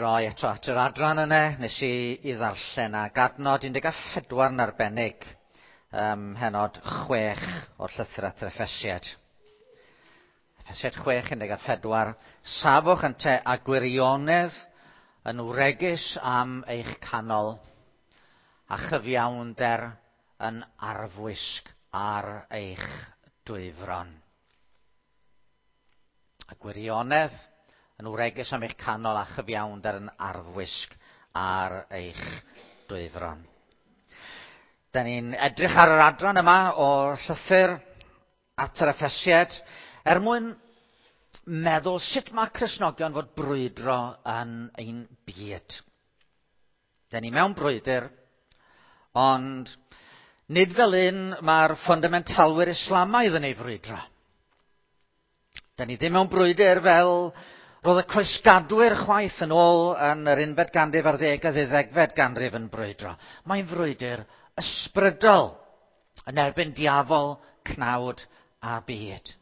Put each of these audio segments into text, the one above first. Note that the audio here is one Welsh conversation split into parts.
droi eto at yr adran yna, nes i i ddarllen ag adnod 14 yn arbennig, pennod 6 o'r llythyr at yr Effesiaid. Effesiaid 6, 14. Safwch ynte a gwirionedd yn wregus am eich canol, a chyfiawnder yn arfwisg ar eich dwyfron. A gwirionedd yn wregus am eich canol a chyfiawnder yn arfwisg ar eich dwyfron. Da ni'n edrych ar yr adran yma o'r llythyr at yr Effesiaid er mwyn meddwl sut mae Cristnogion fod brwydro yn ein byd. Da ni mewn brwydr, ond nid fel un mae'r ffundamentalwyr Islamaidd yn ei frwydro. Da ni ddim mewn brwydr fel roedd y croesgadwyr chwaith yn ôl yn yr unfed ganrif ar ddeg a ddeuddegfed ganrif yn brwydro. Mae'n frwydr ysbrydol yn erbyn diafol, cnawd a byd.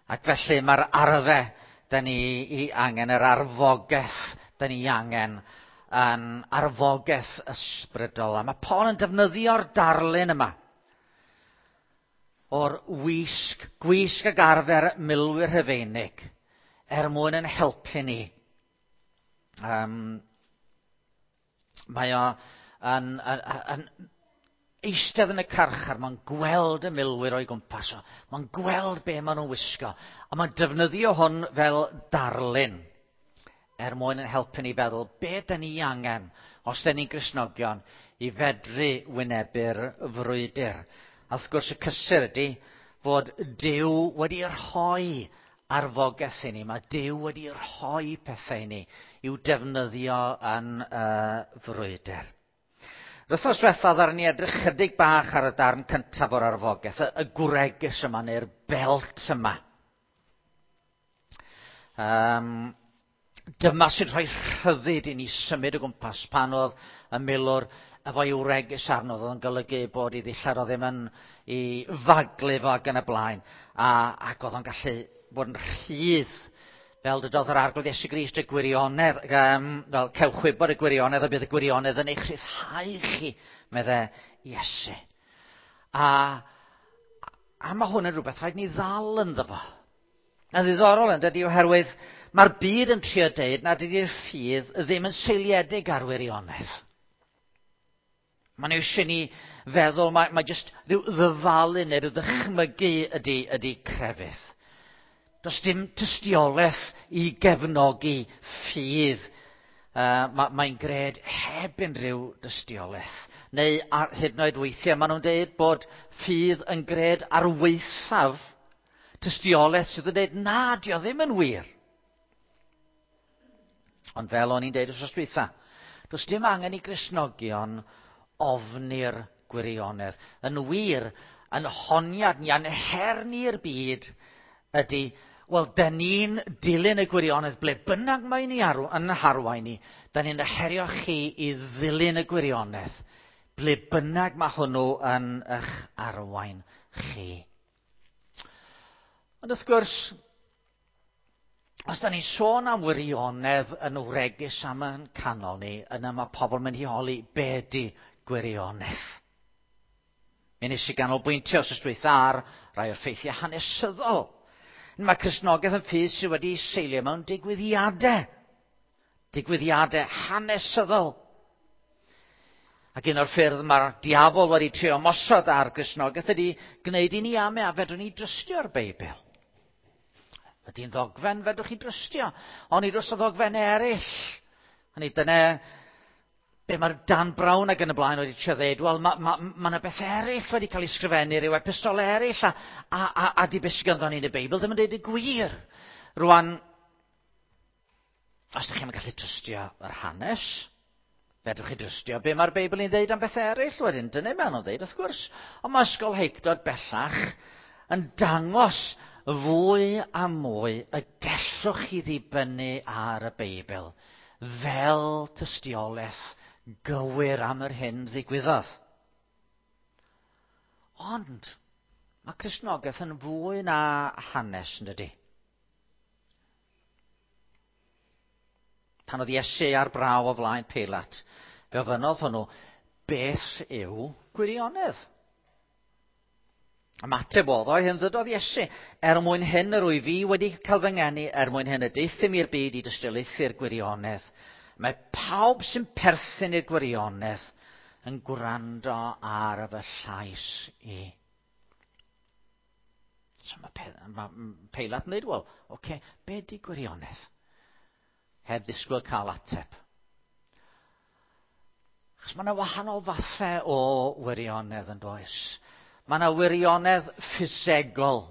Ac felly mae'r arfe da ni i angen, yr arfogaeth da ni angen yn arfogaeth ysbrydol. A mae Paul yn defnyddio'r darlun yma o'r wisg, gwisg ag arfer milwyr Rhufeinig, er mwyn yn helpu ni. Mae o yn eistedd yn y carchar, mae'n gweld y milwyr o'i gwmpas o, mae'n gweld be maen nhw'n wisgo, a mae'n defnyddio hwn fel darlun er mwyn yn helpu ni feddwl be da ni angen, os da ni'n Gristnogion, i fedru wynebu'r frwydr. A wrth gwrs y cysur ydy fod Duw wedi rhoi arfogaeth i ni. Mae Duw wedi rhoi pethau i ni i'w defnyddio yn y frwydr. Yr wythnos diwethaf ddaru ni edrych chydig bach ar y darn cyntaf o'r arfogaeth, y gwregys yma neu'r belt yma. Dyma sy'n rhoi rhyddid i ni symud o gwmpas pan oedd y milwr efo'i wregys arno, oedd yn golygu bod ei ddillad o ddim yn i faglu fo ac yn y blaen, ac oedd o'n gallu bod yn rhydd, fel dydodd yr Arglwydd Iesu Grist y gwirionedd, fel cewch wybod y gwirionedd a bydd y gwirionedd yn eich rhyddhau chi, medde Iesu. A mae hwn yn rhywbeth rhaid ni ddal ynddo fo. Yn ddiddorol yn dydy, oherwydd mae'r byd yn trio deud nad ydy'r ffydd ddim yn seiliedig ar wirionedd. Mae'n eisiau ni feddwl, mae jyst rhyw ddyfalu neu rhyw ddychmygu ydy crefydd. Does dim tystiolaeth i gefnogi ffydd. Mae'n gred heb unrhyw dystiolaeth. Neu hyd yn oed weithiau maen nhw'n deud bod ffydd yn gred ar waethaf tystiolaeth sydd yn deud na, dio ddim yn wir. Ond fel o'n i'n deud wrth dwytha, does dim angen i Gristnogion ofni'r gwirionedd. Yn wir, yn honiad ni, a'n her ni'r byd ydy, wel, da ni'n dilyn y gwirionedd ble bynnag mae ni yn harwain ni, da ni'n herio chi i ddilyn y gwirionedd ble bynnag mae hwnnw yn eich arwain chi. Ond wrth gwrs, os da ni'n sôn am wirionedd yn wregus am yn canol ni, yna mae pobl yn mynd i holi be di gwirionedd. Mi nes i ganolbwyntio os dwytha ar rai o'r ffeithiau hanesyddol. Mae Cristnogaeth yn ffydd sydd wedi seilio mewn digwyddiadau. Digwyddiadau hanesyddol. Ac un o'r ffyrdd mae'r diafol wedi trio ymosod ar Gristnogaeth ydy gwneud i ni ame a fedrwn ni drystio'r Beibl. Ydy'n ddogfen, fedrwch chi drystio. Ond i dros o ddogfennau eraill. Hynny dyna be mae'r Dan Brown ac yn y blaen wedi trio ddeud, wel, mae yna beth eraill wedi cael ei sgrifennu, rhyw epistol eraill, a di beth sydd ganddo ni yn y Beibl ddim yn deud y gwir. Rwan, os ydych chi'n gallu trystio yr hanes, fedrwch chi drystio be mae'r Beibl yn ddeud am bethau eraill wedyn. Dyna maen nhw'n ddeud, wrth gwrs. Ond mae ysgolheictod bellach yn dangos fwy a mwy y gellwch chi ddibynnu ar y Beibl fel tystiolaeth gywir am yr hyn ddigwyddodd. Ond mae Cristnogaeth yn fwy na hanes, yn dydy? Pan oedd Iesu ar braw o flaen Peilat, fe ofynnodd hwnnw, beth yw gwirionedd? Ymateb oedd o, hyn ddydodd Iesu, er mwyn hyn yr wyf fi wedi cael fy ngeni, er mwyn hyn y deuthum i'r byd i dystiolaethu'r gwirionedd. Mae pawb sy'n perthyn i'r gwirionedd yn gwrando ar fy llais i. So mae, mae Peilat yn dweud, wel, oce, okay, be di gwirionedd? Heb ddisgwyl cael ateb. Achos mae yna wahanol fathau o wirionedd yn does. Mae yna wirionedd ffisegol.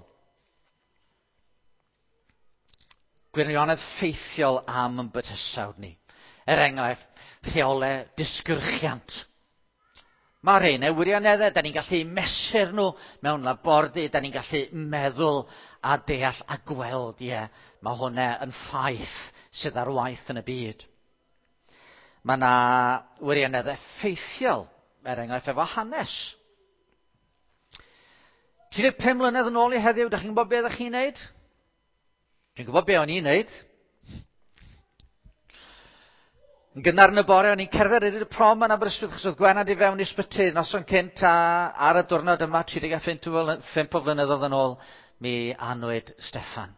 Gwirionedd ffeithiol am yn bydysawd ni. Er enghraifft, rheolau disgyrchiant. Mae rheina wirioneddau, da ni'n gallu mesur nhw mewn labordy, da ni'n gallu meddwl a deall a gweld, ie, mae hwnna yn ffaith sydd ar waith yn y byd. Mae yna wirioneddau ffeithiol, er enghraifft efo hanes. 35 mlynedd yn ôl i heddiw, da chi'n gwybod beth ydych chi'n neud? Dwi'n gwybod be o'n i'n neud. Yn gynnar yn y bore, o'n i'n cerdded i'r prom yn Aberystwyth, achos oedd Gwenna di fewn i ysbyty noson cynt, a ar y diwrnod yma, 35 o flynyddoedd yn ôl, mi anwyd Steffan.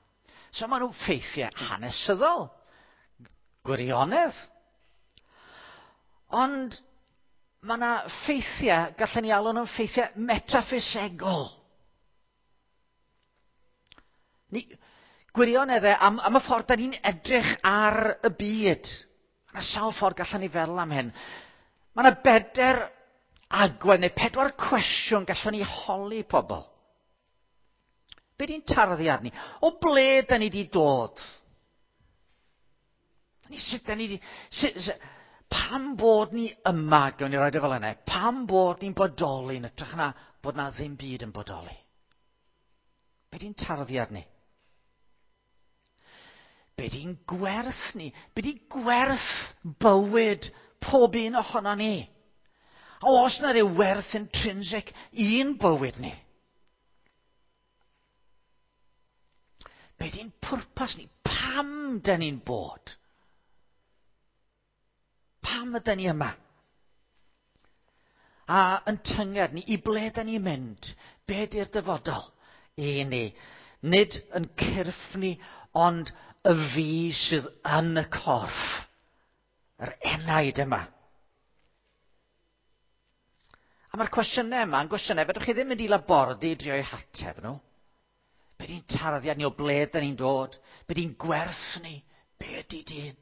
So maen nhw'n ffeithiau hanesyddol, gwirionedd. Ond mae yna ffeithiau, gallen ni alw nhw'n ffeithiau metaffisegol. Ni, gwirioneddau am, am y ffordd da ni'n edrych ar y byd. Mae yna sawl ffordd gallen ni feddwl am hyn. Mae yna beder agwedd neu pedwar cwestiwn gallen ni holi pobl. Be di'n tarddiad ni? O ble da ni wedi dod? Ni sut da ni wedi... Sut, sut, pam bod ni yma, gawn ni roed e fel yna, pam bod ni'n bodoli yn ytrach na bod na ddim byd yn bodoli? Be di'n tarddiad ni? Be di'n gwerth ni? Be di gwerth bywyd pob un ohono ni? A oes na ryw werth intrinsic i'n bywyd ni? Be di'n pwrpas ni? Pam da ni'n bod? Pam ydy ni yma? A yn tynged ni, i ble da ni'n mynd? Be di'r dyfodol i ni? Nid yn cyrff ni, ond y fi sydd yn y corff. Yr enaid yma. A mae'r cwestiynau yma yn gwestiynau, fedrwch chi ddim mynd i labordy i drio'u hateb nhw. Be di'n tarddiad ni o ble da ni'n dod? Be di'n gwerth ni? Be ydy dyn?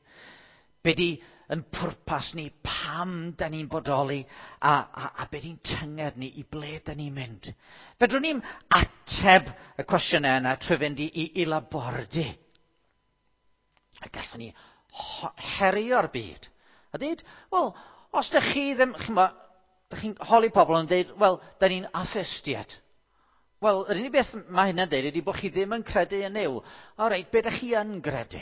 Be di yn pwrpas ni? Pam da ni'n bodoli? A, a, a be di'n tynged ni? I ble da ni'n mynd? Fedrwn ni'n ateb y cwestiynau yna trwy fynd i, i, i labordy. A gallwn ni herio'r byd. A dweud, wel, os da chi ddim, chi'n chi'n holi pobl yn dweud, wel, da ni'n atheistiaid. Wel, yr unig beth mae hynna'n dweud ydy bod chi ddim yn credu yn Nuw. O reit, be ydych chi yn gredu?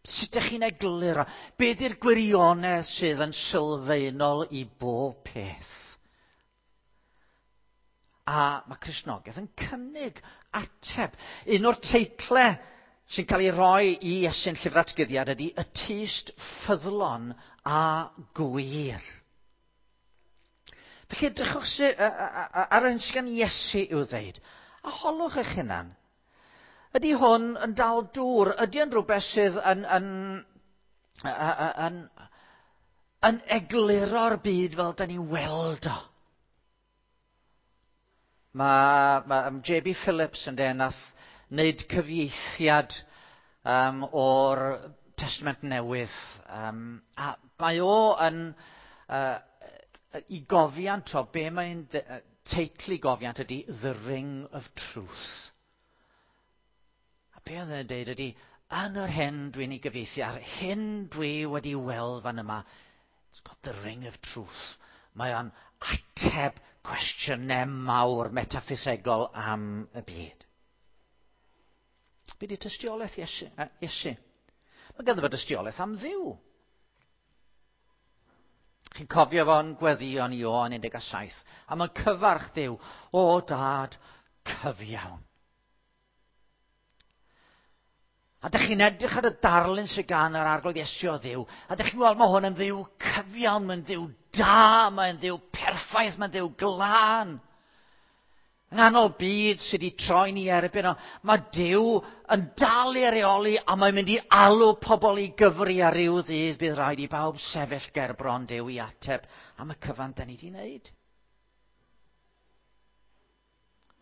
Sut ydych chi'n egluro? Be ydy'r gwirionedd sydd yn sylfaenol i bob peth? A mae Cristnogaeth yn cynnig ateb. Un o'r teitlau sy'n cael ei roi i Iesu'n llyfr atgyddiad ydy y tyst ffyddlon a gwir. Felly edrychwch ar yr hyn sydd gan Iesu i'w ddeud, a holwch eich hunan. Ydy hwn yn dal dŵr? Ydy yn rhywbeth sydd yn, yn, yn, yn egluro'r byd fel da ni'n weld o? Mae, mae J.B. Phillips yn dweud nath wneud cyfieithiad um, o'r Testament Newydd. Um, a mae o yn uh, i gofiant o, be mae'n teitl i gofiant ydy The Ring of Truth. A be oedd yn dweud ydy, yn yr hyn dwi'n ei gyfieithu, a'r hyn dwi wedi weld fan yma, it's got the ring of truth. Mae o'n ateb cwestiynau mawr metaffisegol am y byd. Be di tystiolaeth Iesu? Iesu? Mae ganddo fo dystiolaeth am Dduw. Chi'n cofio fo'n gweddio yn Ioan 17, a mae'n cyfarch Duw, o dad cyfiawn. A dych chi'n edrych ar y darlun sydd gan yr arglwydd Iesu o Dduw, a dych chi'n gweld mae hwn yn Dduw cyfiawn, mae'n Dduw da, mae'n Dduw perffaith, mae'n Dduw glân. Yng nghanol byd sydd wedi troi ni erbyn o, mae Duw yn dal i reoli a mae'n mynd i alw pobl i gyfri ar ryw ddydd bydd rhaid i bawb sefyll ger bron Duw i ateb am y cyfan da ni wedi wneud.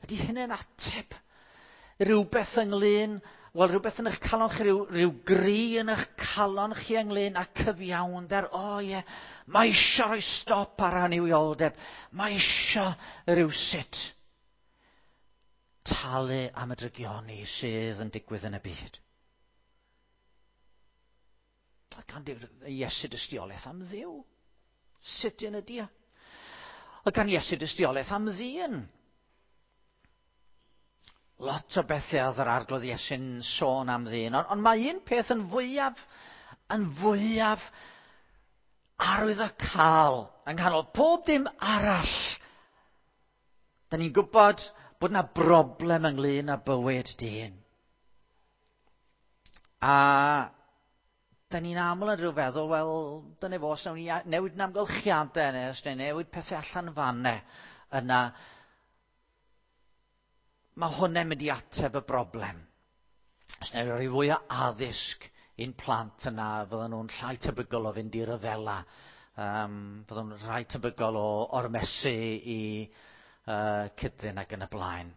Ydy hynny'n ateb rhywbeth ynglyn, wel rhywbeth yn eich calon chi, rhyw, rhyw gri yn eich calon chi ynglyn â cyfiawnder? O oh, ie, yeah. Mae eisiau rhoi stop ar annuwioldeb. Mae eisiau rhywsut talu am y drygioni sydd yn digwydd yn y byd. A gan Iesu dystiolaeth am Dduw. Sut yn ydy e? A gan Iesu dystiolaeth am ddyn. Lot o bethau oedd yr arglwydd Iesu'n sôn am ddyn, ond, ond mae un peth yn fwyaf, yn fwyaf arwyddocaol yng nghanol pob dim arall. Da ni'n gwybod bod yna broblem ynglyn â bywyd dyn. A da ni'n aml yn rhyw feddwl, wel, dyna fo, os nawn ni newid yn amgylchiadau, neu os nawn ni newid pethau allan fanne, yna mae hwnna'n mynd i ateb y broblem. Os nawn ni roi fwy o addysg i'n plant yna, fydden nhw'n llai tebygol o fynd i ryfela, fydden nhw'n rhai tebygol o ormesu i cydyn ac yn y blaen.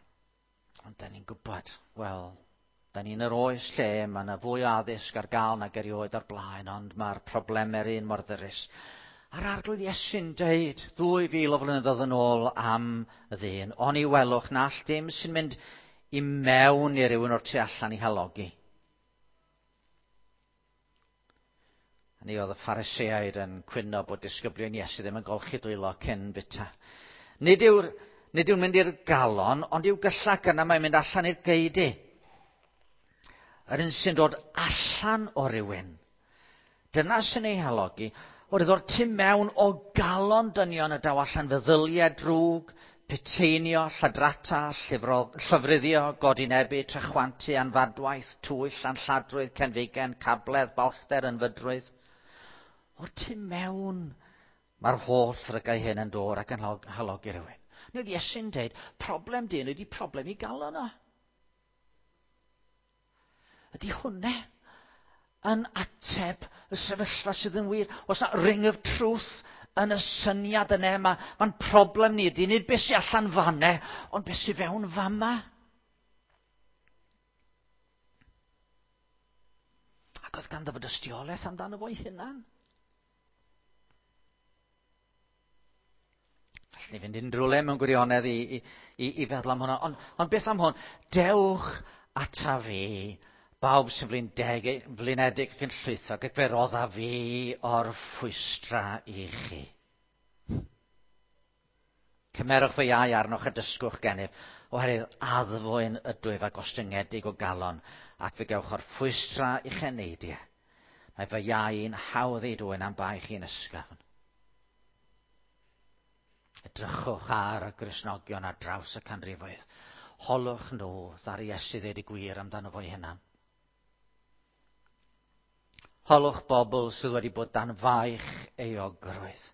Ond da ni'n gwybod, wel, da ni'n yr oes lle mae yna fwy o addysg ar gael nag erioed o'r blaen, ond mae'r problemau'r un mor ddyrus. A'r arglwydd Iesu'n deud 2000 o flynyddoedd yn ôl am y ddyn, oni welwch na all dim sy'n mynd i mewn i rywun o'r tu allan i halogi. A ni oedd y Phariseaid yn cwyno bod disgyblion Iesu ddim yn golchi dwylo cyn bita. Nid yw'r nid yw'n mynd i'r galon, ond i'w gyllach yna mae'n mynd allan i'r geudy. Yr un sy'n dod allan o rywun. Dyna sy'n ei halogi. Oherwydd o'r tu mewn o galon dynion y daw allan feddyliau drwg, peteinio, lladrata, llofruddio, godinebu, trachwantu, anfadwaith, twyll, anlladrwydd, cenfigen, cabledd, balchder, ynfydrwydd. O'r tu mewn mae'r holl ddrygau hyn yn dod ac yn halogi rhywun. Nid Iesu'n dweud, problem dyn ydy problem i galon o. Ydy hwnna yn ateb y sefyllfa sydd yn wir? Oes na ring of truth yn y syniad yna? Mae'n ma problem ni ydy, nid beth sy'n allan fanne, ond beth sy'n fewn fama. Ac oedd ganddo fo dystiolaeth amdano fo'i hunan. Allwn ni fynd unrhyw le mewn gwirionedd i, i, i, i feddwl am hwnna. Ond, ond beth am hwn? Dewch ata fi, bawb sy'n flindeg, flinedig ac yn llwythog, ac fe rodda fi o'r ffwystra i chi. Cymerwch fy iau arnoch a dysgwch gennyf, oherwydd addfwyn ydwyf a gostyngedig o galon, ac fe gewch o'r ffwystra i'ch eneidiau. Mae fy iau'n hawdd ei dwyn am baich i'n ysgafn. Edrychwch ar y Gristnogion ar draws y canrifoedd. Holwch nhw ddaru Iesu ddeud y gwir amdano fo'i hunan. Holwch bobl sydd wedi bod dan faich euogrwydd.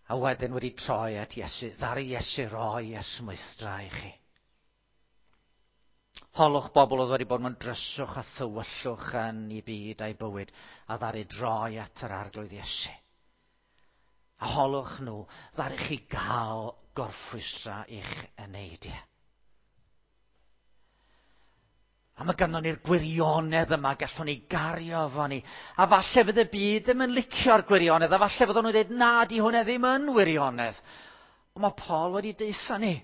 A wedyn wedi troi at Iesu, ddaru Iesu roi esmwythdra i chi. Holwch bobl oedd wedi bod mewn dryswch a thywyllwch yn ei byd a'i bywyd, a ddaru droi at yr arglwydd Iesu. A holwch nhw, ddaru chi gael gorffwystra i'ch eneidiau. A mae ganddo ni'r gwirionedd yma, gallwn ni gario fo ni. A falle fydd y byd ddim yn licio'r gwirionedd, a falle fydden nhw'n dweud, na, di hwnna ddim yn wirionedd. Ond mae Paul wedi deutha ni.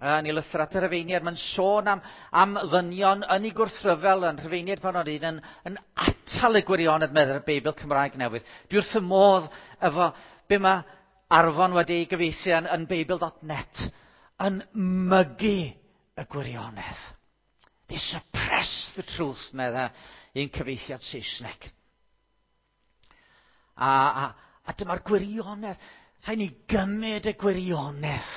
Yn ei lythyr at y Rhufeiniaid, mae'n sôn am, am ddynion yn ei gwrthryfel yn Rhufeiniaid pan o'n un yn, yn atal y gwirionedd meddai'r Beibl Cymraeg Newydd. Dwi wrth y modd efo be mae Arfon wedi ei gyfieithu yn, yn Beibl.net yn mygu y gwirionedd. They suppress the truth, medda un cyfieithiad Saesneg. A, a, A dyma'r gwirionedd. Rhaid ni gymryd y gwirionedd.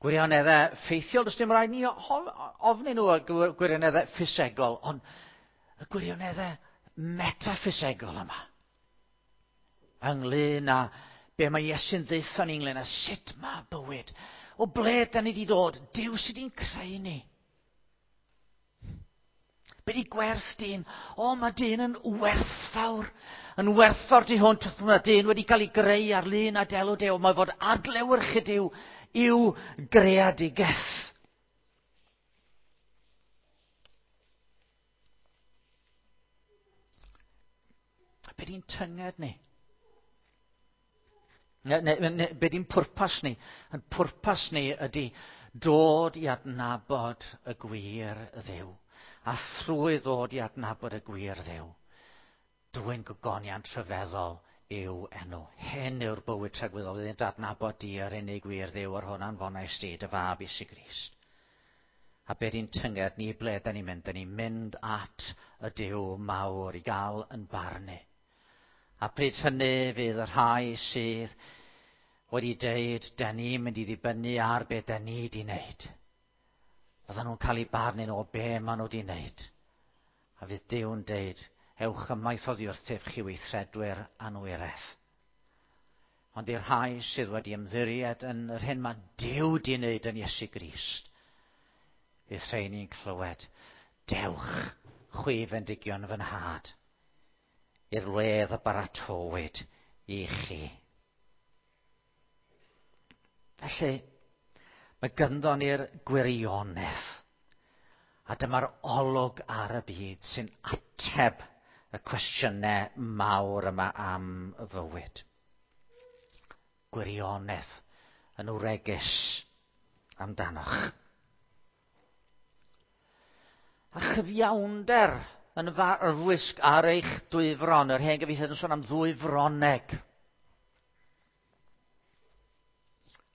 Gwirioneddau ffeithiol, does dim rhaid ni ofni nhw y gwirioneddau ffisegol, ond y gwirioneddau metaffisegol yma. Ynglyn â be mae Iesu'n ddeutho ni ynglyn â sut mae bywyd. O ble da ni wedi dod? Duw sydd wedi'n creu ni. Be di gwerth dyn? O, mae dyn yn werthfawr. Yn werthfawr tu hwnt. Mae dyn wedi cael ei greu ar lun a delw Duw. Mae fod adlewyrchu Duw i'w greadigaeth. Be di'n tynged ni? Ne, be di'n pwrpas ni? Yn pwrpas ni ydy dod i adnabod y gwir Dduw. A thrwy ddod i adnabod y gwir Dduw, dwyn gogoniant rhyfeddol yw enw. Hyn yw'r bywyd tragwyddol, iddynt adnabod di yr unig wir Dduw yr hwn anfonais di, dy fab Iesu Grist. A be di'n tynged ni, ble da ni'n mynd? Da ni'n mynd at y Duw mawr i gael yn barnu. A pryd hynny fydd y rhai sydd wedi deud, da ni'n mynd i ddibynnu ar be da ni di wneud. Fyddan nhw'n cael eu barnu o be maen nhw wedi wneud. A fydd Duw'n deud, ewch ymaith oddi wrthyf chi weithredwyr anwiredd. Ond i'r rhai sydd wedi ymddiried yn yr hyn mae Duw di wneud yn Iesu Grist, fydd rheini'n clywed, dewch, chwi fendigion fy nhad, i'r wledd y baratowyd i chi. Felly, mae gynddo ni'r gwirionedd. A dyma'r olwg ar y byd sy'n ateb y cwestiynau mawr yma am fywyd. Gwirionedd yn wregus amdanoch. A chyfiawnder yn farfwisg ar eich dwyfron. Yr hen gyfieithiad yn sôn am ddwy froneg.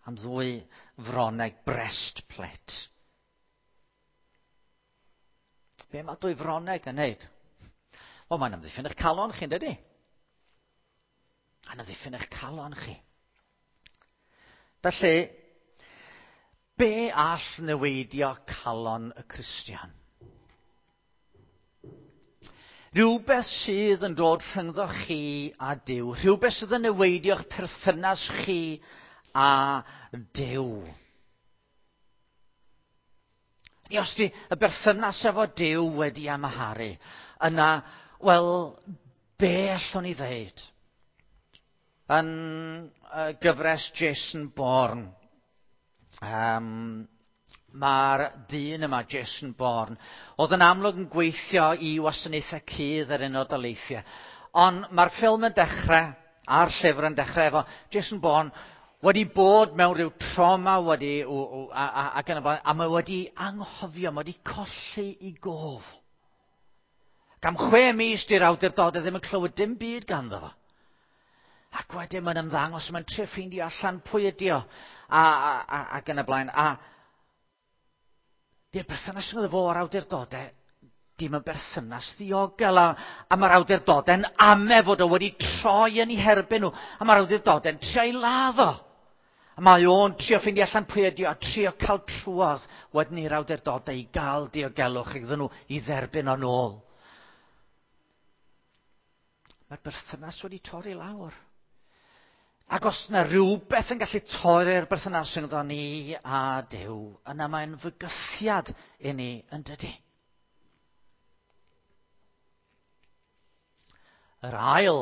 Am ddwy froneg, breastplate. Be mae dwy froneg yn neud? Wel, mae'n amddiffyn eich calon chi, dydy? Mae'n amddiffyn eich calon chi. Felly, be all neweidio calon y Cristion? Rhywbeth sydd yn dod rhyngddo chi a Duw. Rhywbeth sydd yn neweidio'ch perthynas chi a Duw. Ni os di y berthynas efo Duw wedi amharu, yna, wel, be allwn ni ddeud? Yn gyfres Jason Bourne, mae'r dyn yma, Jason Bourne, oedd yn amlwg yn gweithio i wasanaethau cudd yr Unol Daleithiau. Ond mae'r ffilm yn dechrau, a'r llyfr yn dechrau efo Jason Bourne wedi bod mewn rhyw trauma wedi, ac yn y blaen, a mae wedi anghofio, mae wedi colli i gof. Ac am 6 mis di'r awdurdodau ddim yn clywed dim byd ganddo fo. Ac wedyn mae'n ymddangos, mae'n trio ffeindio allan pwy ydi o, ac yn y blaen. A di'r berthynas rhwng fo a'r awdurdodau dim yn berthynas ddiogel, a mae'r awdurdodau'n ame fod o wedi troi yn ei herbyn nhw, a mae'r awdurdodau'n trio ei ladd o. A mae o'n trio ffeindio allan pwy ydi o, a trio cael trwodd wedyn i'r awdurdodau i gael diogelwch iddyn nhw i dderbyn o'n ôl. Mae'r berthynas wedi torri lawr. Ac os yna rhywbeth yn gallu torri'r berthynas rhyngddo ni a Duw, yna mae'n fygythiad i ni, yn dydi? Yr ail,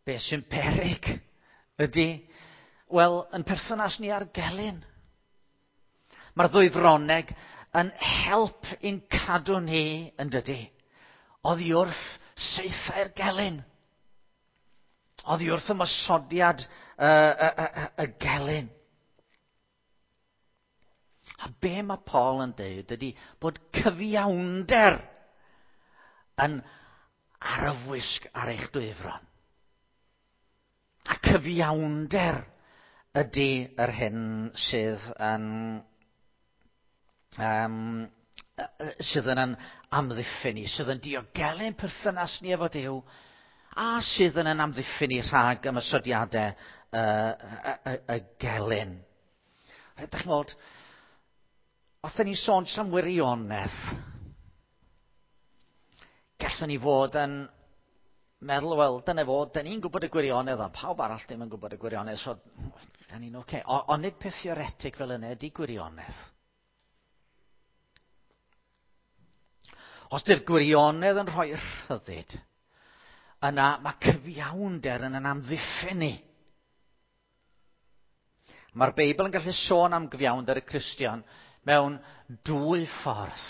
beth sy'n peryg, ydy, wel, yn perthynas ni â'r gelyn. Mae'r ddwy froneg yn help i'n cadw ni, yn dydi, oddi wrth saethau'r gelyn. Oddi wrth ymosodiad y gelyn. A be mae Paul yn dweud ydy bod cyfiawnder yn arfwisg ar eich dwyfron. A cyfiawnder ydy yr hyn sydd yn sydd yn amddiffyn ni, sydd yn diogelu'n perthynas ni efo Duw, a sydd yn yn amddiffyn ni rhag ymosodiadau y gelyn. Ydych chi'n gweld, os da ni'n sôn jyst am wirionedd, gallwn ni fod yn meddwl, wel, dyna fo, da ni'n gwybod y gwirionedd, ond pawb arall ddim yn gwybod y gwirionedd, so da ni'n oce. Okay. Ond nid peth theoretig fel yna ydy gwirionedd. Os di'r gwirionedd yn rhoi rhyddid, yna mae cyfiawnder yn amddiffyn ni. Mae'r Beibl yn gallu sôn am gyfiawnder y Cristion mewn dwy ffordd.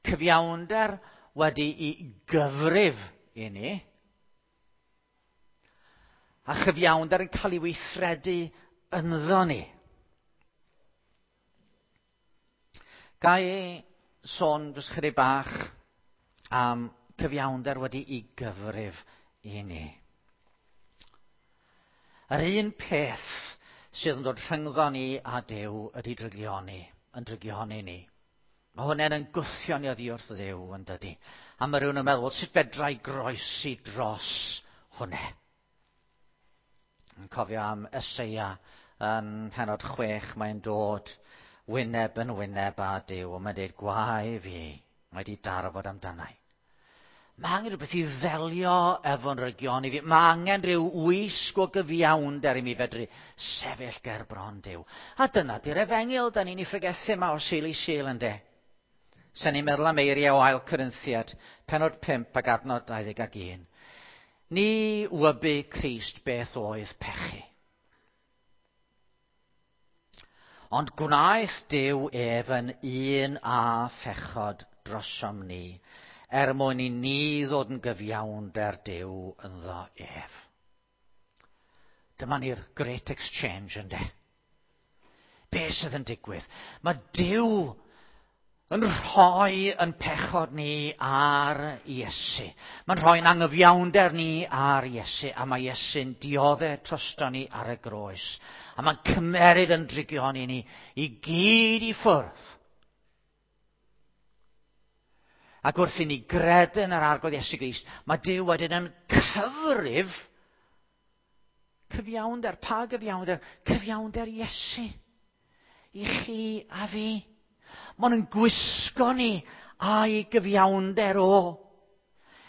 Cyfiawnder wedi'i gyfrif i ni, a chyfiawnder yn cael ei weithredu ynddo ni. Ga i sôn jyst chydig bach am cyfiawnder wedi'i gyfrif i ni. Yr un peth sydd yn dod rhyngddo ni a Duw ydy drygioni, yn drygioni ni. Mae hwnna'n yn gwthio ni oddi wrth Dduw, yn dydy. A mae rhywun yn meddwl, sut fedra i groesi dros hwnna? Yn cofio am Eseia yn pennod 6, mae'n dod wyneb yn wyneb â Duw, a mae'n dweud, gwae fi, mae wedi darfod amdanau. Mae angen rhywbeth i ddelio efo'n rygion i fi. Mae angen rhyw wisg o gyfiawnder i mi fedru sefyll ger bron Duw. A dyna di'r efengyl, da ni'n ei phregethu yma o Sul i Sul, ynde. Sen ni'n meddwl am eiriau o Ail Corinthiad, pennod 5 ac adnod 21. Ni wybu Crist beth oedd pechu. Ond gwnaeth Duw ef yn un â phechod drosom ni, er mwyn i ni ddod yn gyfiawnder Duw ynddo ef. Dyma ni'r Great Exchange, ynde. Be sydd yn digwydd? Mae Duw yn rhoi yn pechod ni ar Iesu. Mae'n rhoi'n angyfiawnder ni ar Iesu, a mae Iesu'n dioddef drosto ni ar y groes. A mae'n cymeryd yn drigion i ni i gyd i ffwrdd. Ac wrth i ni gredu yn yr Arglwydd Iesu Grist, mae Duw wedyn yn cyfrif cyfiawnder. Pa gyfiawnder? Cyfiawnder Iesu. I chi a fi. Mae'n yn gwisgo ni a'i gyfiawnder o,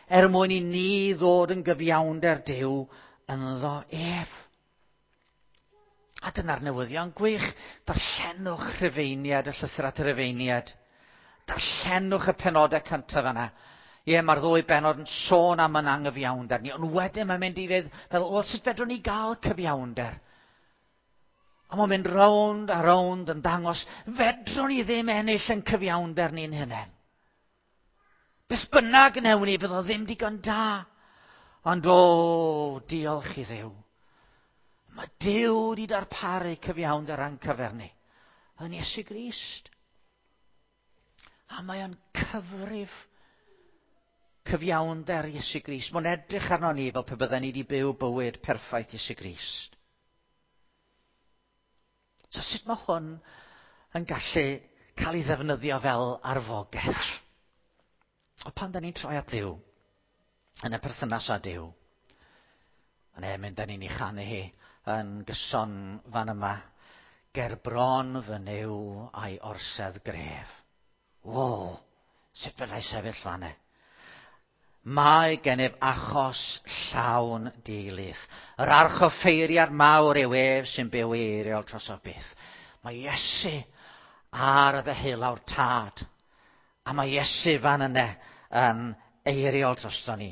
er mwyn i ni ddod yn gyfiawnder Duw ynddo ef. A dyna'r newyddion gwych. Darllenwch Rhufeiniad, y llythyr at y Rhufeiniad. Darllenwch y penodau cyntaf yna. Ie, mae'r ddwy bennod yn sôn am yn angyfiawnder ni, ond wedyn mae'n mynd i fydd fel, wel, sut fedrwn ni gael cyfiawnder? A mae'n mynd rownd a rownd yn dangos, fedrwn ni ddim ennill yn cyfiawnder ni'n hunain. Beth bynnag wnewn ni, fydd o ddim digon da. Ond o, diolch i Dduw. Mae Duw wedi darparu cyfiawnder a'n cyfer ni. Yn Iesu Grist. A mae o'n cyfrif cyfiawnder Iesu Grist. Mae'n edrych arno ni fel pe bydden ni wedi byw bywyd perffaith Iesu Grist. So sut mae hwn yn gallu cael ei ddefnyddio fel arfogaeth? O pan da ni'n troi at Dduw, yn y perthynas â Duw, yn e mynd da ni'n ei chanu hi yn gyson fan yma, ger bron fy Nuw a'i orsedd gref. O, sut fedrai sefyll fan e? Mae gennyf achos llawn deuludd. Yr archoffeiriad mawr yw ef sy'n byw i eiriol drosof byth. Mae Iesu ar y ddeheulaw'r tad. A mae Iesu fan yna yn eiriol drosto ni.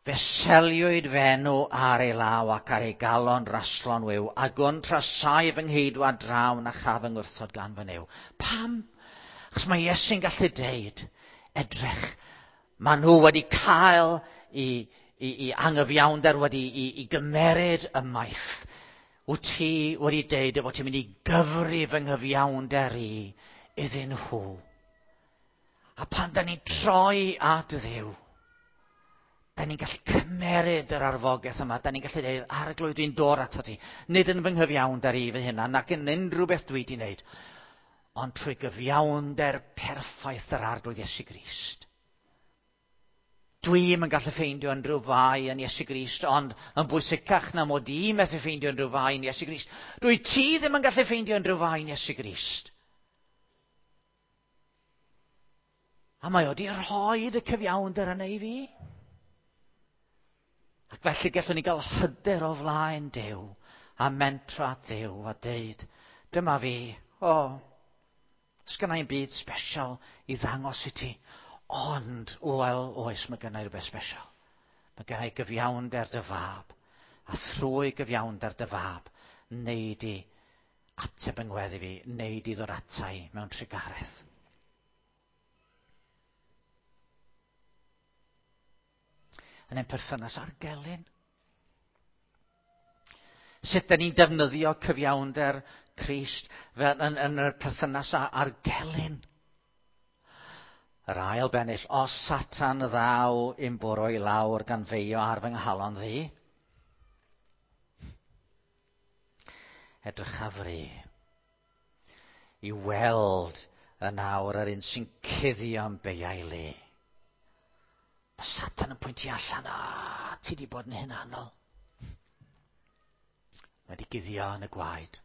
Fe seliwyd fy enw ar ei law ac ar ei galon raslon wiw, a gwn trasau fy ngheidwad draw na chaf fy ngwrthod gan fy Nuw. Pam? Achos mae Iesu'n gallu deud, edrych, maen nhw wedi cael i angyfiawnder wedi i gymeryd ymaith. Wyt ti wedi deud y fod ti'n mynd i gyfri fy nghyfiawnder i iddyn nhw. A pan da ni'n troi at Dduw, da ni'n gallu cymeryd yr arfogaeth yma, da ni'n gallu dweud, Arglwydd, dwi'n dod ato ti, nid yn fy nghyfiawnder i fy hunan, nac yn unrhyw beth dwi wedi wneud, ond trwy gyfiawnder perffaith yr Arglwydd Iesu Grist. Dwi'm yn gallu ffeindio unrhyw fai yn Iesu Grist, ond yn bwysicach na mod i methu ffeindio unrhyw fai yn Iesu Grist, dwi ti ddim yn gallu ffeindio unrhyw fai yn Iesu Grist. A mae o di rhoi y cyfiawnder yna i fi. Ac felly gallwn ni gael hyder o flaen Duw a mentro at Dduw a deud, dyma fi, o, sgynna i'm byd special i ddangos i ti, ond, wel, oes, mae gynna i rhywbeth special. Mae gynna i gyfiawnder dy fab, a thrwy gyfiawnder dy fab, neu di ateb yng ngweddi fi, neu di ddod ata i mewn trugaredd. Yn ein perthynas â'r gelyn. Sut da ni'n defnyddio cyfiawnder Crist fel yn, yn y perthynas â'r gelyn. Yr ail bennill, os Satan ddaw i'm bwrw i lawr gan feio ar fy nghalon ddi. Edrycha fri i weld yn awr yr un sy'n cuddio yn beiau le. Mae Satan yn pwyntio allan, a ti di bod yn hunanol. Mae di guddio yn y gwaed.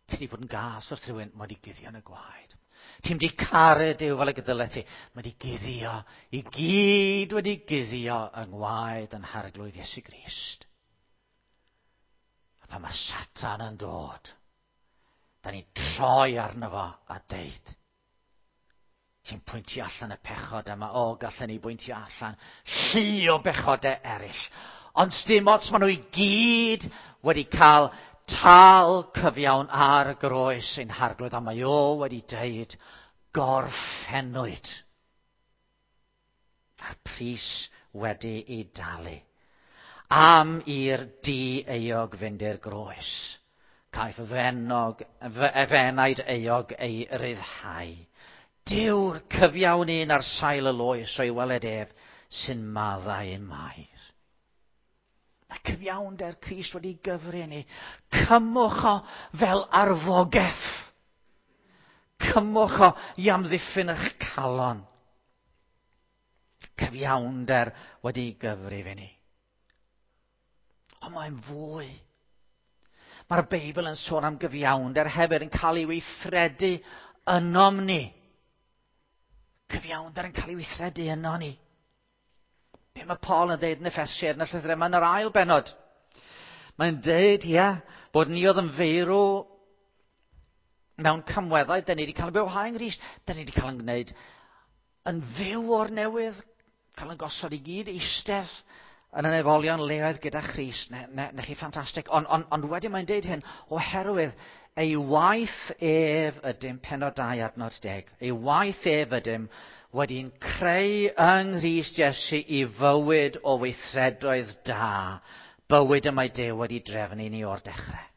Ti di bod yn gas wrth rhywun, mae di guddio yn y gwaed. Ti'n di caru Duw fel y gydyle ti. Mae di guddio, i gyd wedi guddio yng ngwaed yn harglwydd Iesu Grist. A pan mae Satan yn dod, da ni'n troi arno fo a deud, ti'n pwyntio allan y pechod yma, o, gallen ni bwyntio allan llu o bechodau eraill. Ond dim ots, maen nhw i gyd wedi cael tal cyfiawn ar y groes ein harglwydd, a mae o wedi deud, gorffennwyd. A'r pris wedi ei dalu. Am i'r di-euog fynd i'r groes. Caiff y fenog, efenaid euog ei ryddhau. Dyw'r cyfiawn un ar sail y loes o'i weled ef sy'n maddau ein mair. Mae cyfiawnder Crist wedi gyfri ni. Cymwch o fel arfogaeth. Cymwch o i amddiffyn eich calon. Cyfiawnder wedi gyfrif i ni. Ond mae'n fwy. Mae'r Beibl yn sôn am gyfiawnder hefyd yn cael ei weithredu ynom ni. Cyfiawnder yn cael ei weithredu yno ni. Be mae Paul yn dweud yn Effesiaid yn y llythyr yma yn yr ail benod? Mae'n dweud, ia, bod ni oedd yn feirw mewn camweddau, da ni wedi cael yn bywhau yng Nghrist, da ni wedi cael yn gwneud yn fyw o'r newydd, cael yn gosod i gyd eistedd yn y nefolion leoedd gyda Christ. Ne, ne, ne chi ffantastig. Ond on, on wedyn mae'n deud hyn, oherwydd ei waith ef ydym, penod 2 adnod 10, ei waith ef ydym wedi'n creu yng Nghrist Iesu i fywyd o weithredoedd da, bywyd y mae Duw wedi drefnu ni o'r dechrau.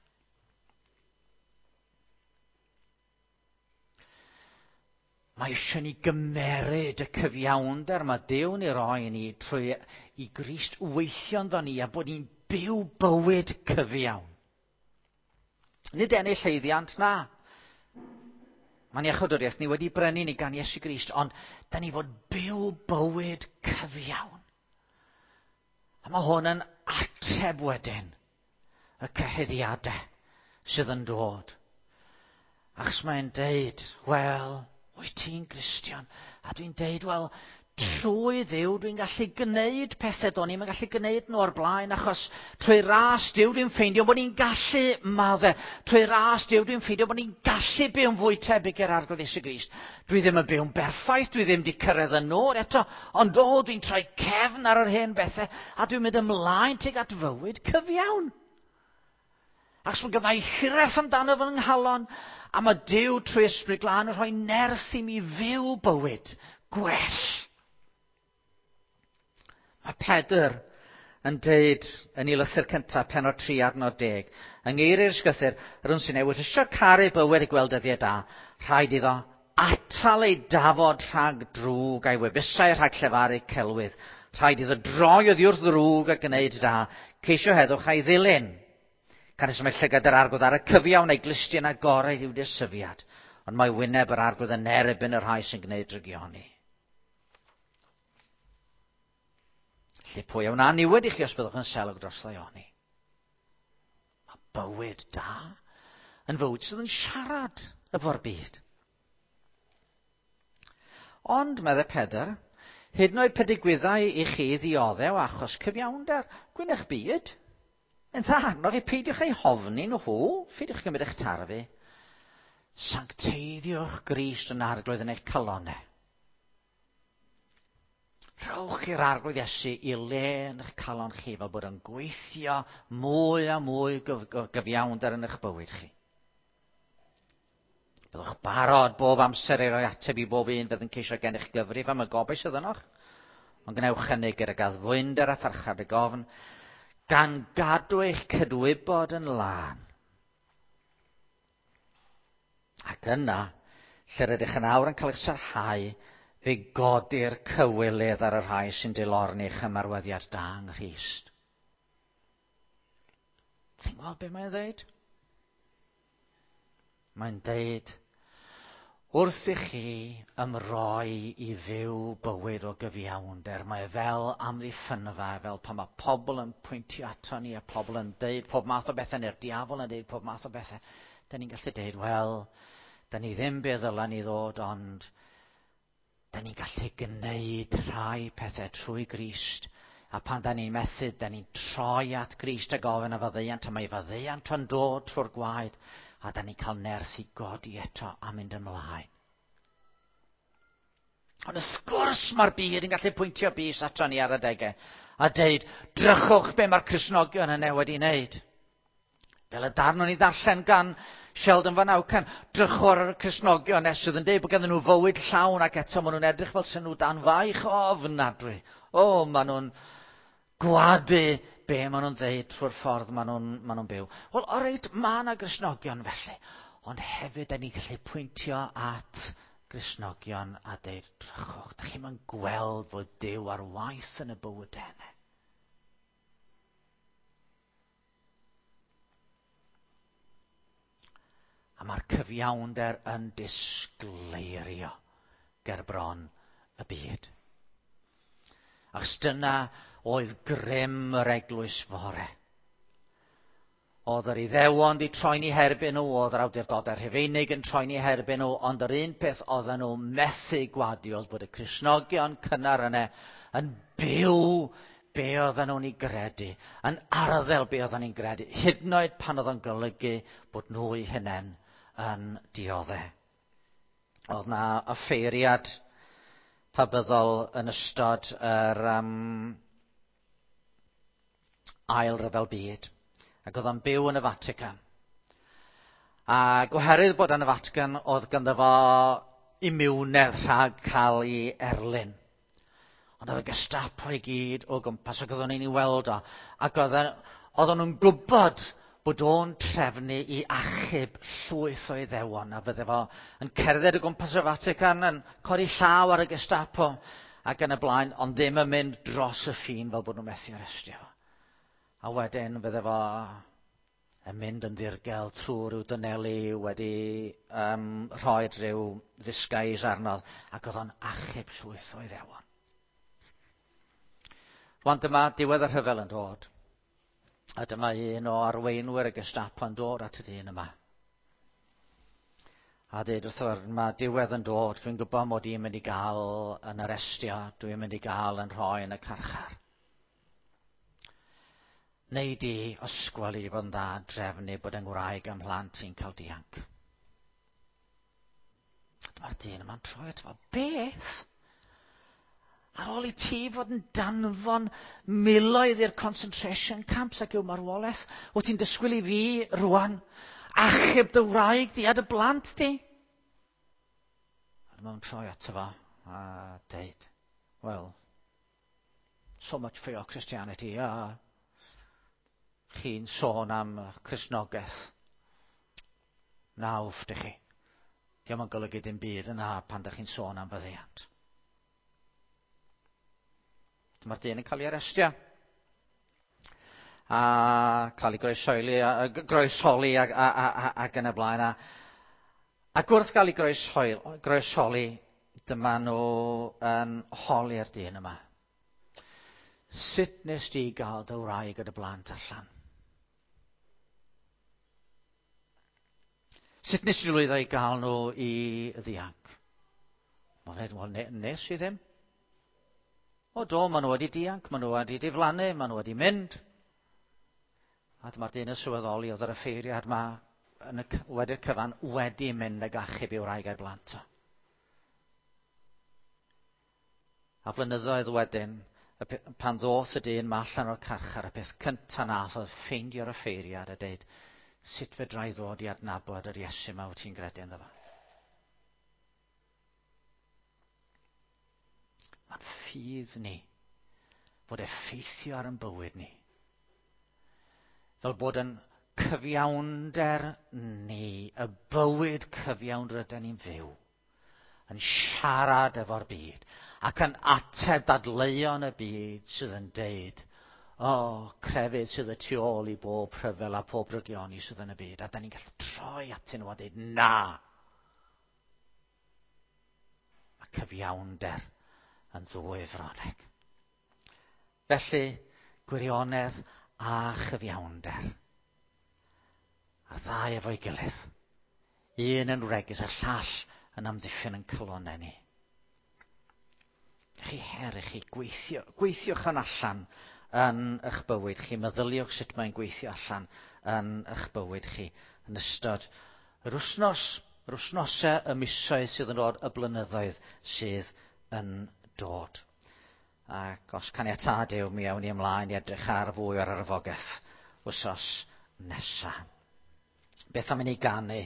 Mae eisiau ni gymeryd y cyfiawnder mae Duw'n ei roi ni trwy i Grist weithio ynddo ni a bod ni'n byw bywyd cyfiawn. Nid ennill haeddiant, na. Mae'n iachawdwriaeth ni wedi brynu ni gan Iesu Grist, ond da ni fod byw bywyd cyfiawn. A mae hwn yn ateb wedyn y cyhuddiadau sydd yn dod. Achos mae'n deud, wel, wyt ti'n Gristion? A dwi'n deud, wel, trwy Dduw dwi'n gallu gwneud pethau do'n i'm yn gallu gwneud nhw o'r blaen, achos trwy ras Duw dwi'n ffeindio bod ni'n gallu maddau. Trwy ras Duw dwi'n ffeindio bod ni'n gallu byw'n fwy tebyg i'r Arglwydd Iesu Grist. Dwi ddim yn byw'n berffaith, dwi ddim wedi cyrraedd y nod eto, ond o, dwi'n troi cefn ar yr hen bethau, a dwi'n mynd ymlaen tuag at fywyd cyfiawn. Achos mae gynna i hiraeth amdano fy nghalon, a mae Duw trwy Ysbryd Glân yn rhoi nerth i mi fyw bywyd gwell. Mae Pedr yn deud yn ei lythyr cyntaf, penod 3 adnod 10, yng ngeiriau'r ysgrythur, yr un sy'n newid eisiau caru bywyd a gweld dyddiau da, rhaid iddo atal ei dafod rhag drwg a'i wefusau rhag llefaru celwydd. Rhaid iddo droi oddi wrth ddrwg a gwneud da, ceisio heddwch a'i ddilyn. Canys mae llygad yr arglwydd ar y cyfiawn a'i glustiau'n agored i'w dysyfiad. Ond mae wyneb yr Arglwydd yn erbyn y rhai sy'n gwneud drygioni. Felly pwy a wna niwed i chi os byddwch yn selog dros ddaioni? Mae bywyd da yn fywyd sydd yn siarad efo'r byd. Ond, meddai Pedr, hyd yn oed pe digwyddai i chi ddioddew achos cyfiawnder, gwyn eich byd. Yn dda arnoch chi, peidiwch eu hofni nhw, pheidiwch gymryd eich tarfu. Sancteiddiwch Grist yn Arglwydd yn eich calonau. Rhowch i'r Arglwydd Iesu i le yn eich calon chi fel bod yn gweithio mwy a mwy gyfiawnder yn eich bywyd chi. Byddwch barod bob amser i roi ateb i bob un fydd yn ceisio gennych gyfrif am y gobaith sydd ynoch, ond gwnewch hynny gyda gaddfwynder a pharchad y gofn, gan gadw eich cydwybod yn lân. Ac yna, lle rydych yn awr yn cael eich sarhau, fe godir cywilydd ar y rhai sy'n dilorni eich ymarweddiad da yng Nghrist. Chi'n gweld beth mae'n dweud? Mae'n deud, wrth i chi ymroi i fyw bywyd o gyfiawnder, mae e fel amddiffynfa, fel pan mae pobl yn pwyntio ato ni a pobl yn deud pob math o bethau, neu'r diafol yn deud pob math o bethau, da ni'n gallu deud, wel, da ni ddim be ddyla ni ddod, ond da ni'n gallu gwneud rhai pethau trwy Grist. A pan da ni'n methu, da ni'n troi at Grist a gofyn a faddeuant, a mae faddeuant yn dod trwy'r gwaed, a da ni'n cael nerth i godi eto a mynd ymlaen. Ond wrth gwrs mae'r byd yn gallu pwyntio bys ato ni ar adegau a deud, drychwch be mae'r Cristnogion yna wedi wneud. Fel y darn o'n i ddarllen gan Sheldon Van Auken, drychwch ar y Cristnogion nes sydd yn deud bod ganddyn nhw fywyd llawn ac eto maen nhw'n edrych fel sy'n nhw dan faich ofnadwy. O, maen nhw'n gwadu be maen nhw'n ddeud trwy'r ffordd maen nhw'n ma nhw byw. Wel, o reit, mae yna Gristnogion felly. Ond hefyd, da ni'n gallu pwyntio at Gristnogion a deud, drychwch, da chi'n mynd gweld fod Duw ar waith yn y bywydau yna. A mae'r cyfiawnder yn disgleirio ger bron y byd. Achos dyna oedd grym yr eglwys fore. Oedd yr Iddewon di troi'n eu herbyn nhw, oedd yr awdurdodau Rhufeinig yn troi'n eu herbyn nhw, ond yr un peth oedden nhw methu gwadu oedd bod y Cristnogion cynnar yna yn byw be oedden nhw'n ei gredu, yn arddel be oedden nhw'n gredu, hyd yn oed pan oedd o'n golygu bod nhw eu hunain yn dioddef. Oedd na offeiriad pabyddol yn ystod yr ail ryfel byd, ac oedd o'n byw yn y Vatican. Ac oherwydd bod yn y Vatican, oedd ganddo fo imiwnedd rhag cael ei erlyn. Ond oedd y Gestapo i gyd o gwmpas, ac oedd o'n ei weld o. Ac oedden nhw'n gwybod bod o'n trefnu i achub llwyth o Iddewon, a fydde fo yn cerdded o gwmpas y Vatican, yn codi llaw ar y Gestapo, ac yn y blaen, ond ddim yn mynd dros y ffin fel bod nhw'n methu arestio fo. A wedyn fydde fo yn mynd yn ddirgel trwy rhyw dynelu wedi rhoi rhyw ddisguise arno, ac oedd o'n achub llwyth o Iddewon. Rwan dyma diwedd y rhyfel yn dod. A dyma un o arweinwyr y Gestapo yn dod at y dyn yma. A dweud wrtho, mae diwedd yn dod, dwi'n gwybod mod i'n mynd i gael yn arestio, dwi'n mynd i gael yn rhoi yn y carchar. Neu di osgwel i fod yn dda drefnu bod yng Ngwraig am mhlant i'n cael dianc. Dyma'r dyn yma'n troi ato fo, beth? Ar ôl i ti fod yn danfon miloedd i'r concentration camps ac i'w marwolaeth, wyt ti'n disgwyl i fi rwan achub dy wraig di a dy blant di? A dyma fo'n troi ato fo a deud, well, so much for your Christianity. Chi'n sôn am Cristnogaeth. Nawf, dych chi. Dio'm yn golygu dim byd yna pan dych chi'n sôn am faddeuant. Dyma'r dyn yn cael ei arestio. A cael ei groesoli ac yn y blaen. Ac wrth gael ei groesholi, dyma nhw yn holi'r dyn yma. Sut nes di gael dy wraig a dy blant allan? Sut nes di lwyddo i gael nhw i ddianc? Wel, nes i ddim. O do, maen nhw wedi dianc, maen nhw wedi diflannu, maen nhw wedi mynd. A dyma'r dyn yn sylweddoli oedd yr offeiriad ma yn y, wedi'r cyfan wedi mynd ag achub i'w wraig a'i blant o. A flynyddoedd wedyn, pan ddoth y dyn ma allan o'r carchar, y peth cyntaf nath oedd ffeindio'r offeiriad a deud, sut fedra i ddod i adnabod yr Iesu yma wyt ti'n gredu ynddo fo? Mae'n ffydd ni fod effeithio ar yn bywyd ni. Fel bod yn cyfiawnder ni, y bywyd cyfiawn rydyn ni'n fyw, yn siarad efo'r byd ac yn ateb dadleuon y byd sydd yn deud, o, crefydd sydd y tu ôl i bob rhyfel a pob drygioni sydd yn y byd. A da ni'n gallu troi atyn nhw a deud, na! Mae cyfiawnder yn ddwy froneg. Felly, gwirionedd a chyfiawnder. A'r ddau efo'i gilydd. Un yn wregus, y llall yn amddiffyn yn calonnau ni. Chi her i chi gweithio, gweithiwch yn allan yn eich bywyd chi. Meddyliwch sut mae'n gweithio allan yn eich bywyd chi yn ystod yr wythnos, yr wythnosau, y misoedd sydd yn dod, y blynyddoedd sydd yn dod. Ac os caniatâd yw, mi awn ni ymlaen i edrych ar fwy o'r arfogaeth wythnos nesaf. Beth am i ni ganu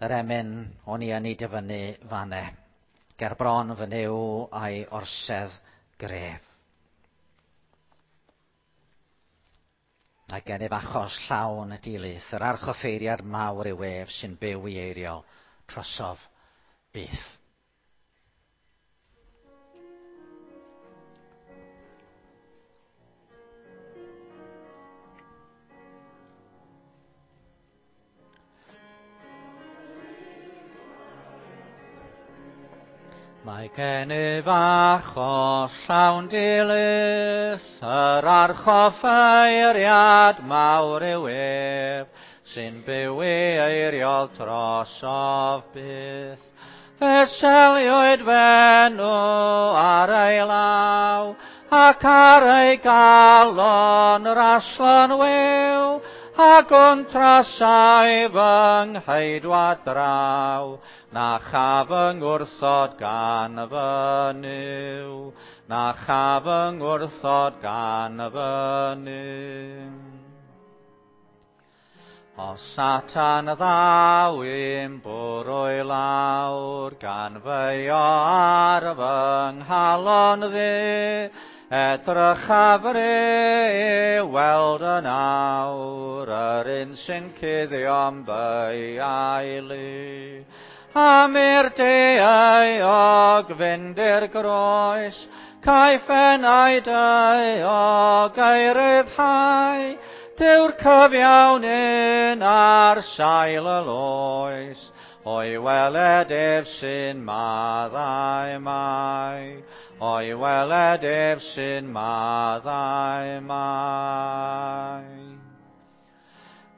yr emyn o'n i yn ei dyfynnu fanne. Ger bron fy Nuw a'i orsedd gref. Mae gennyf achos llawn y dilys, yr archoffeiriad mawr yw ef sy'n byw i eiriol trosof byth. Mae gennyf achos llawn dilys, yr archoffeiriad mawr yw ef, sy'n byw i eiriol drosof byth. Fe seliwyd f'enw ar ei law, ac ar ei galon raslon wiw, ac wntrasai fy ngheidwad draw, na chaf fy ngwrthod gan fy Nuw, na chaf fy ngwrthod gan fy Nuw. Os Satan ddaw i'm bwrw i lawr, gan feio ar fy nghalon ddu, edrychaf i weld yn awr, yr un sy'n cuddio'n beiau lu. Am i'r daeog fynd i'r groes, caiff enau daeog ei ryddhau, Dyw'r cyfiawn un ar sail y loes, o'i weled ef sy'n maddau mai, o'i weled ef sy'n maddau mai.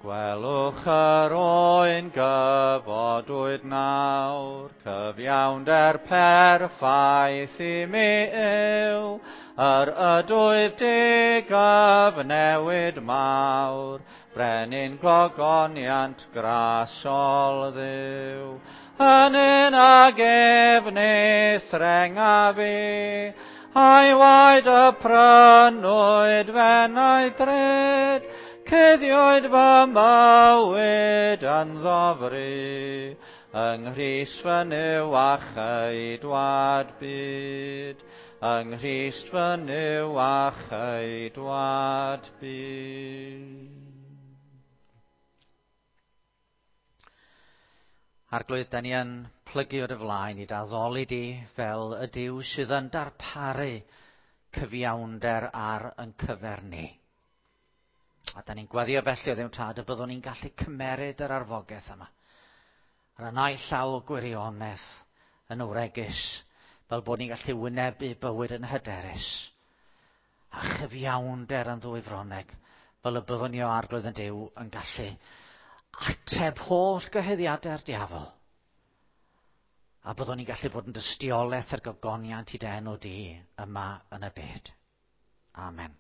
Gwelwch yr oen gyfodwyd nawr, cyfiawnder perffaith i mi yw, yr ydwyf digyfnewid mawr, brenin gogoniant grasol Dduw. Yn un ag ef nes renga fi, a'i waed y prynwyd fenau drud, cuddiwyd fy mywyd yn ddofri, yng Nghrist fy Nuw a cheidwad byd, yng Nghrist fy Nuw a cheidwad byd. Arglwydd, da ni yn plygu o dy flaen i d'addoli di fel y Duw sydd yn darparu cyfiawnder ar yn cyfer ni. A da ni'n gweddio felly o Dduw Tad y byddwn ni'n gallu cymeryd yr arfogaeth yma. Ar y naill llaw gwirionedd yn wregus, fel bod ni'n gallu wynebu bywyd yn hyderus, a chyfiawnder yn ddwy froneg, fel y byddwn ni o Arglwydd yn Duw yn gallu ateb holl gyhuddiadau'r diafol. A byddwn ni'n gallu bod yn dystiolaeth ar gogoniant i dy enw di yma yn y byd. Amen.